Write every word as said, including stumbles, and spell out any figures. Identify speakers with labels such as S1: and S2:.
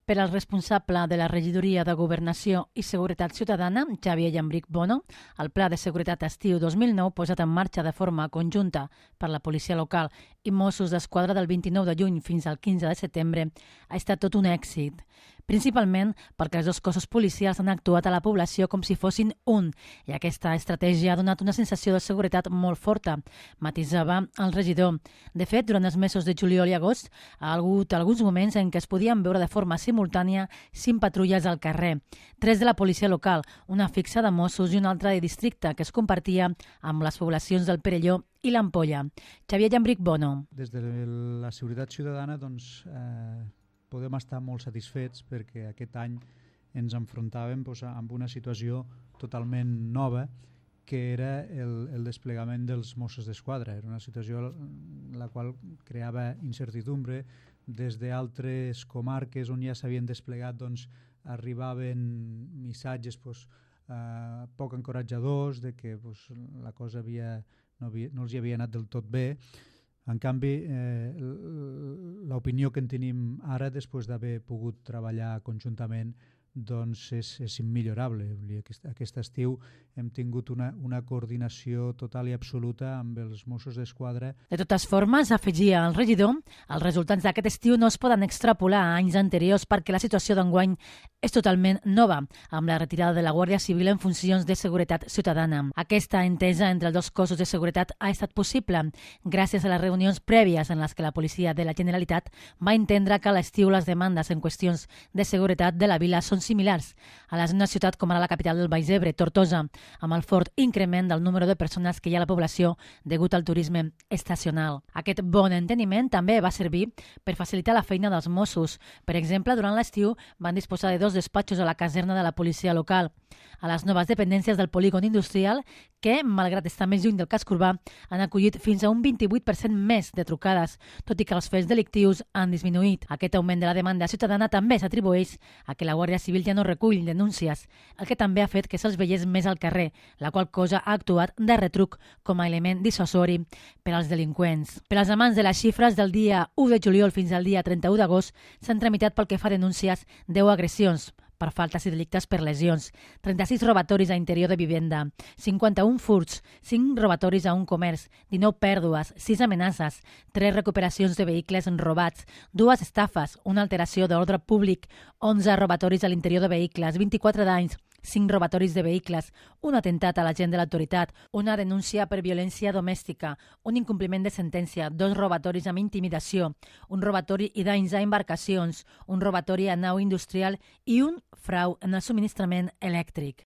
S1: Per al responsable de la Regidoria de Governació i Seguretat Ciutadana, Xavier Llambrich Bono, el Pla de Seguretat Estiu dos mil nou, posat en marxa de forma conjunta per la policia local i Mossos d'Esquadra del vint-i-nou de juny fins al quinze de setembre, ha estat tot un èxit, principalment perquè els dos cossos policials han actuat a la població com si fossin un, i aquesta estratègia ha donat una sensació de seguretat molt forta, matisava el regidor. De fet, durant els mesos de juliol i agost, ha hagut alguns moments en què es podien veure de forma simultània cinc patrulles al carrer, tres de la policia local, una fixa de Mossos i una altra de districte que es compartia amb les poblacions del Perelló i l'Ampolla. Xavier Llambrich Bono.
S2: Des de la seguretat ciutadana doncs, eh, podem estar molt satisfets perquè aquest any ens enfrontàvem doncs, amb una situació totalment nova que era el, el desplegament dels Mossos d'Esquadra. Era una situació la qual creava incertidumbre. Des d'altres comarques on ja s'havien desplegat doncs, arribaven missatges doncs, eh, poc encoratjadors de que doncs, la cosa havia, no, havia, no els hi havia anat del tot bé. En canvi, eh, l'opinió que en tenim ara, després d'haver pogut treballar conjuntament, doncs és, és immillorable. Aquest, aquest estiu hem tingut una, una coordinació total i absoluta amb els Mossos d'Esquadra.
S1: De totes formes, afegia el regidor, els resultats d'aquest estiu no es poden extrapolar a anys anteriors perquè la situació d'enguany és totalment nova, amb la retirada de la Guàrdia Civil en funcions de seguretat ciutadana. Aquesta entesa entre els dos cossos de seguretat ha estat possible gràcies a les reunions prèvies en les que la policia de la Generalitat va entendre que a l'estiu les demandes en qüestions de seguretat de la vila són similars a les d'una ciutat com ara la capital del Baix Ebre, Tortosa, amb el fort increment del número de persones que hi ha a la població degut al turisme estacional. Aquest bon enteniment també va servir per facilitar la feina dels Mossos. Per exemple, durant l'estiu van disposar de dos despatxos a la caserna de la policia local, a les noves dependències del polígon industrial que, malgrat estar més lluny del casc urbà, han acollit fins a un vint-i-vuit per cent més de trucades, tot i que els fets delictius han disminuït. Aquest augment de la demanda ciutadana també s'atribueix a que la Guàrdia Civil ja no recull denúncies, el que també ha fet que se'ls veiés més al carrer, la qual cosa ha actuat de retruc com a element dissuasori per als delinqüents. Per als amants de les xifres, del dia u de juliol fins al dia trenta-u d'agost s'han tramitat pel que fa a denúncies deu agressions per faltes i delictes per lesions, trenta-sis robatoris a interior de vivenda, cinquanta-un furts, cinc robatoris a un comerç, dinou pèrdues, sis amenaces, tres recuperacions de vehicles robats, dues estafes, una alteració d'ordre públic, onze robatoris a l'interior de vehicles, vint-i-quatre danys, cinc robatoris de vehicles, un atemptat a l'agent de l'autoritat, una denúncia per violència domèstica, un incompliment de sentència, dos robatoris amb intimidació, un robatori i danys a embarcacions, un robatori a nau industrial i un frau en el subministrament elèctric.